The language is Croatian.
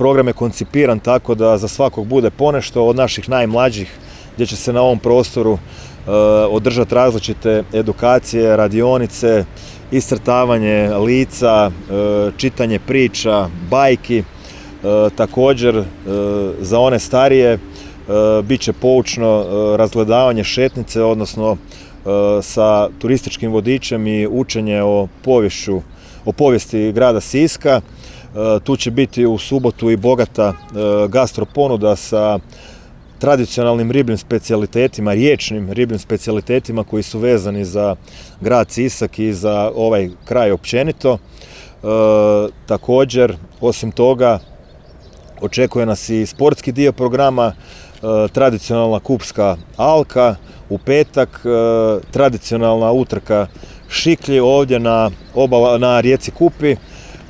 program je koncipiran tako da za svakog bude ponešto, od naših najmlađih gdje će se na ovom prostoru održati različite edukacije, radionice, iscrtavanje lica, čitanje priča, bajki. Također za one starije bit će poučno razgledavanje šetnice, odnosno sa turističkim vodičem i učenje o povijesti grada Siska. Tu će biti u subotu i bogata gastro ponuda sa tradicionalnim ribljim specijalitetima, riječnim ribljim specijalitetima koji su vezani za grad Sisak i za ovaj kraj općenito. Također, osim toga, očekuje nas i sportski dio programa, tradicionalna kupska alka, u petak tradicionalna utrka šiklji ovdje na rijeci Kupi,